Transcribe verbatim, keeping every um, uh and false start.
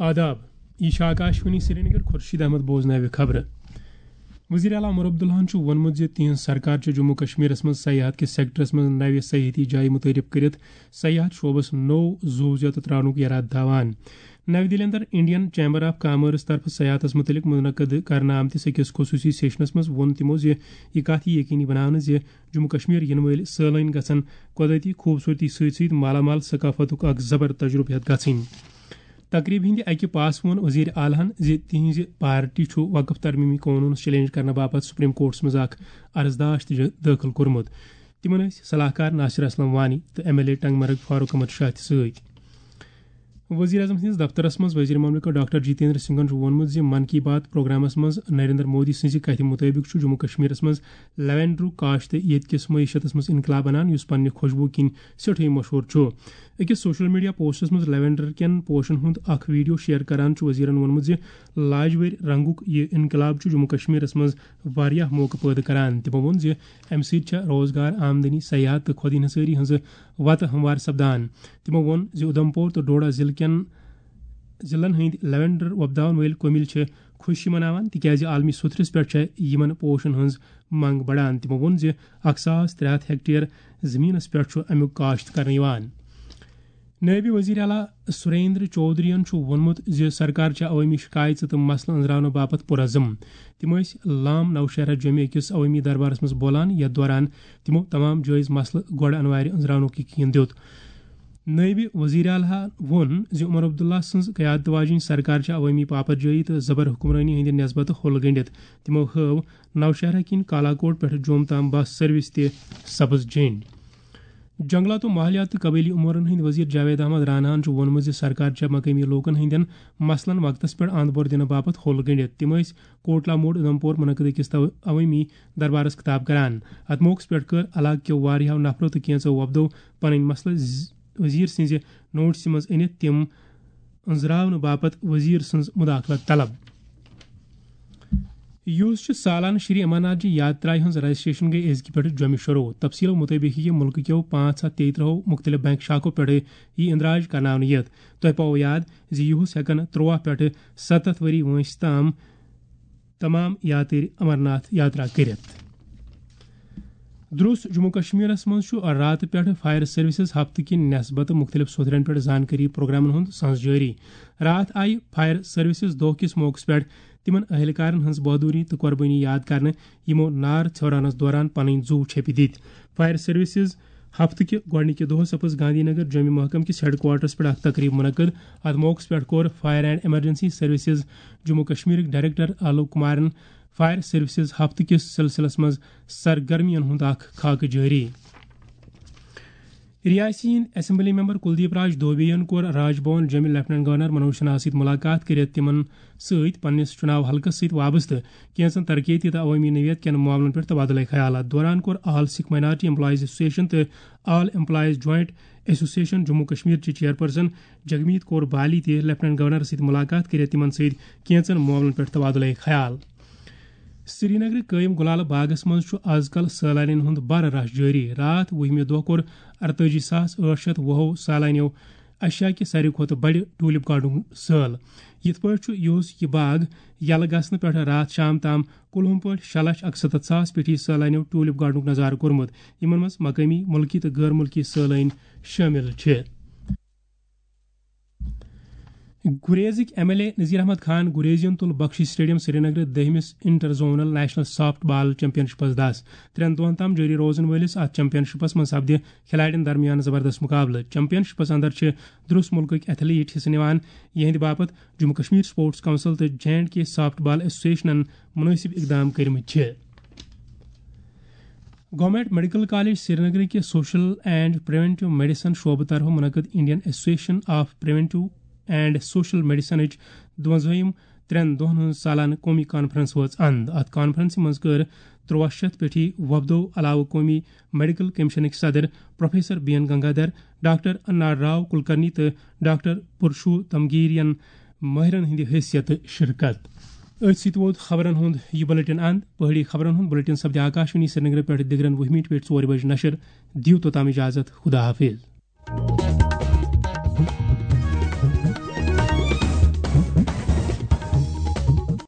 آداب، یہِ چھِ آکاشوانی سرینگر، خورشید احمد بوزناوِ خبرٕ۔ وزیر اعلیٰ عمر عبداللہَن چھُ ووٚنمُت زِ تِہنٛز سرکار چھِ جموں کشمیرس منٛز سیاحت کِس سیکٹرس منٛز نوِ سیاحتی جایہِ متعارف کٔرِتھ سیاحت شعبس نوٚو زُو زیتہٕ تراونُک یرادٕ تھاوان۔ نَوِ دِلہِ اندر انڈین چیمبر آف کامٲرس طرفہٕ سیاحتس مُتعلق منعقد کرنہٕ آمتِس أکِس خصوٗصی سیشنس منٛز ووٚن تِمو زِ یہِ کتھ یہِ یقینی بناونہٕ زِ جموں کشمیر یِنہٕ وٲلۍ سٲلٲنۍ گژھن قۄدرتی خوٗبصوٗرتی سۭتۍ سۭتۍ مالا مال ثقافتُک اکھ زبر تجربہٕ ہٮ۪تھ گژھٕنۍ۔ تقریبہِ ہٕنٛدِ اکہِ پاس ووٚن وزیر اعلیٰ ہَن زِ تِہنٛزِ پارٹی چھُ وقف ترمیمی قونوٗنس چیلنج کرنہٕ باپتھ سپریم کورٹس منٛز اکھ عرضداشت ج-، دٲخل کوٚرمُت۔ تِمن ٲسۍ صلاح کار ناصر اسلم وانی تہٕ ایم ایل اے ٹنگ مرگ فاروق احمد شاہ تہِ سۭتۍ۔ وزیر اعظم سٕنٛدِس دفترس منٛز وزیر مملکت ڈاکٹر جتیندر سنگھن چھُ ووٚنمُت زِ من کی بات پروگرامس منٛز نریندر مودی سٕنٛزِ کتھِ مُطٲبِق چھُ جموں کشمیرس منٛز لیونڈرُک کاشت ییٚتہِ کِس معیشتس منٛز انقلاب انان، یُس پننہِ خوشبو کِنۍ سٮ۪ٹھٕے مشہوٗر چھُ۔ أکِس سوشل میڈیا پوسٹس منٛز لیونڈر کٮ۪ن پوشن ہُنٛد اکھ ویڈیو شیئر کران چھُ وزیرن ووٚنمُت زِ لاجوٲرۍ رنگُک یہِ انقلاب چھُ جموں کشمیرس منٛز واریاہ موقعہٕ پٲدٕ کران۔ تِمو ووٚن زِ امہِ سۭتۍ چھےٚ روزگار، آمدنی، سیاحت تہٕ خود انحصٲری ہٕنٛزٕ وتہٕ ہموار سپدان۔ تِمو ووٚن زِ اُدھمپور تہٕ ڈوڈا ضلعہٕ کٮ۪ن ضلعن ہٕنٛدۍ لیونڈر وۄپداون وٲلۍ کُمِل چھِ خوشی مناوان، تِکیازِ عالمی سطحس پٮ۪ٹھ چھےٚ یِمن پوشن ہٕنٛز منگ بڑان۔ تِمو ووٚن زِ اکھ ساس ترٛےٚ ہتھ ہیکٹیر زٔمیٖنَس پٮ۪ٹھ چھُ اَمیُک کاشت کرنہٕ یِوان۔ نٲیِب وزیر اعلیٰ سریندر چودھرین چھُ ووٚنمُت زِ سرکار چھےٚ عوٲمی شکایژٕ تہٕ مسلہٕ أنٛزراونہٕ باپتھ پُرعزم۔ تِم ٲسۍ لام نوشہرہ جوٚمہِ أکِس عوٲمی دربارس منٛز بولان، یَتھ دوران تِمو تمام جٲیز مسلہٕ گۄڈٕ انوارِ أنٛزراونُک یقین دیُت۔ نٲیِب وزیر اعلیٰ ووٚن زِ عمر عبداللہ سٕنٛز قیادت واجیٚنۍ سرکار چھےٚ عوٲمی پاپرجٲیی تہٕ زبر حکمرٲنی ہٕنٛدِ نسبتہٕ ہوٚل گٔنٛڈِتھ۔ تِمو ہٲو نوشہرہ کِنۍ کالاکوٹ پٮ۪ٹھٕ جوٚم تام بس سروس تہِ سبز جھنڈ۔ جنگلات و ماحولیات تہٕ قبٲیلی امورن ہٕنٛدۍ وزیر جاوید احمد راناہن چھُ ووٚنمُت زِ سرکار چھےٚ مقٲمی لوٗکن ہٕنٛدٮ۪ن مسلن وقتس پٮ۪ٹھ اند بور دِنہٕ باپتھ ہوٚل گٔنٛڈِتھ۔ تِم ٲسۍ کوٹلا موڑ اُدھمپور منعقد أکِس تو-، عوٲمی دربارس خطاب کران۔ اتھ موقعس پٮ۪ٹھ کٔر علاقہٕ کیو واریاہو نفرو تہٕ کینٛژو وۄپدو پنٕنۍ مسلہٕ ز-، وزیر سٕنٛزِ نوٹسہِ منٛز أنِتھ تِم أنٛزراونہٕ باپتھ وزیر سٕنٛز مداخلت طلب۔ یُس چھُ سالانہٕ شری امرناتھ جی یاترا ہٕنٛز رجسٹریشن گٔے أزکہِ پٮ۪ٹھٕ جوٚمہِ شروع۔ تفصیلو مُطٲبِق یِیہِ مُلکہٕ کیو پانٛژھ ہتھ تیٚیہِ ترٛہو مُختٔلِف بینک شاخو پٮ۪ٹھٕ یہِ اندراج کرناونہٕ یِتھ۔ تۄہہِ پاوو یاد زِ یُہُس ہٮ۪کن ترٛواہ پٮ۪ٹھٕ ستتھ ؤری وٲنٛسہِ تام تمام یاترۍ امرناتھ یاترا کٔرِتھ۔ درُس جموں کشمیرس منٛز چھُ راتہٕ پٮ۪ٹھٕ فائر سروسز ہفتہٕ کہِ نسبتہٕ مُختٔلِف سوٚتھرن پٮ۪ٹھ زانکٲری پروگرامن ہُنٛد سنز جٲری۔ راتھ آیہِ فائر سروسز دۄہ کِس موقعس پٮ۪ٹھ تِمن اہلکارن ہٕنٛز بہادری تہٕ قۄربٲنی یاد کرنہٕ، یِمو نار ژھیورانس دوران پنٕنۍ زُو چھپہِ دِتۍ۔ فائر سروسز ہفتہٕ کہِ گۄڈٕنِکہِ دۄہ سپٕز گاندھی نگر جوٚمہِ محکمہٕ کِس ہیڈ کوارٹرس پٮ۪ٹھ اکھ تقریب منعقد۔ اتھ موقعس پٮ۪ٹھ کوٚر fire and emergency services Jammu کشمیرٕکۍ ڈائریکٹر آلوک کمارن فائر سروسز ہفتہٕ کِس سلسلس منٛز سرگرمیَن ہُنٛد اکھ خاکہٕ جٲری۔ رِیاستی ہٕنٛدۍ اسمبلی ممبر کلدیپ راج دوبے یَن کوٚر راج بھون جوٚمہِ لیفٹیننٹ گورنر منوج سنہاہَس سۭتۍ مُلاقات کٔرِتھ تِمَن سۭتۍ پننِس چُناو حلقس سۭتۍ وابستہٕ کینٛژن ترقیتی تہٕ عوٲمی نوعیت کٮ۪ن معاملن پٮ۪ٹھ تبادلہ خیال۔ اتھ دوران کوٚر all Sikh minority employees association تہٕ all employees joint association Jammu Kashmir چہِ چیئرپرسن جگمیت کور بالی تہِ لیفٹیننٹ گورنرَس سۭتۍ مُلاقات کٔرِتھ تِمَن سۭتۍ کینٛژن معاملن پٮ۪ٹھ تبادلہ خیال۔ سرینگرٕ قٲیِم گُلالہٕ باغس منٛز چھُ از کل سٲلانٮ۪ن ہُنٛد بھرٕ رش جٲری۔ راتھ وُہمہِ دۄہ کوٚر اَرتٲجی ساس ٲٹھ شیٚتھ وُہو سالانیو ایشیا کہِ ساروی کھۄتہٕ بڑِ ٹولپ گارڈنُک سٲل۔ یِتھ پٲٹھۍ چھُ یُہُس یہِ باغ یلہٕ گژھنہٕ پٮ۪ٹھ راتھ شام تام کُلہُم پٲٹھۍ شےٚ لچھ اَکسَتَتھ ساس پیٹھی سٲلانیو ٹولپ گارڈنُک نظارٕ کوٚرمُت، یِمن منٛز مقٲمی، مُلکی تہٕ غٲر مُلکی سٲلٲنۍ شٲمِل چھِ۔ گُریزٕکۍ M L A Nazir Ahmad Khan گُریزیَن تُل بخشی سٹیڈیم سرینگرٕ دٔہمِس inter zonal national softball championships دَس۔ ترٛٮ۪ن دۄہن تام جٲری روزن وٲلِس اتھ چیمپین شپس منٛز سپدِ کھلاڑٮ۪ن درمیان زبردست مقابلہٕ۔ چیمپین شپس اندر چھِ درُس مُلکٕکۍ ایتھلیٹ حصہٕ نِوان، یِہنٛدِ باپتھ جموں کشمیر سپورٹس کونسل تہٕ جے اینڈ کے سافٹ بال ایسوسیشنن مناسب اقدام کٔرمٕتۍ چھِ۔ گورنمنٹ میڈیکل کالج سرینگرٕ کہِ سوشل اینڈ پریونٹیو میڈیسن شعبہٕ طرفہٕ منعقد Indian association of preventive and social میڈیسنٕچ دُوَنزٲہِم ترٛٮ۪ن دۄہن ہٕنٛز سالانہٕ قومی کانفرنس وٲژ اند۔ اتھ کانفرنسہِ منٛز کٔر ترٛواہ شیٚتھ پیٹھی وۄپدو علاوٕ قومی میڈیکل کمیشنٕکۍ صدر professor B N Gangadhar, doctor انار راو کلکرنی تہٕ ڈاکٹر پرشو تمگیرین مٲہرن ہٕنٛدِ حیثیتہٕ شرکت۔ أتھۍ سۭتۍ ووت خبرن ہُنٛد یہِ بلیٹن اند۔ پہٲڑی خبرن ہُنٛد بلیٹن سپدِ آکاشوانی سرینگرٕ پٮ۪ٹھ دِگرن وُہہِ مِنٹہِ پٮ۪ٹھ ژورِ بجہِ نشر۔ دِیِو توٚتام اجازت۔ خدا حافظ۔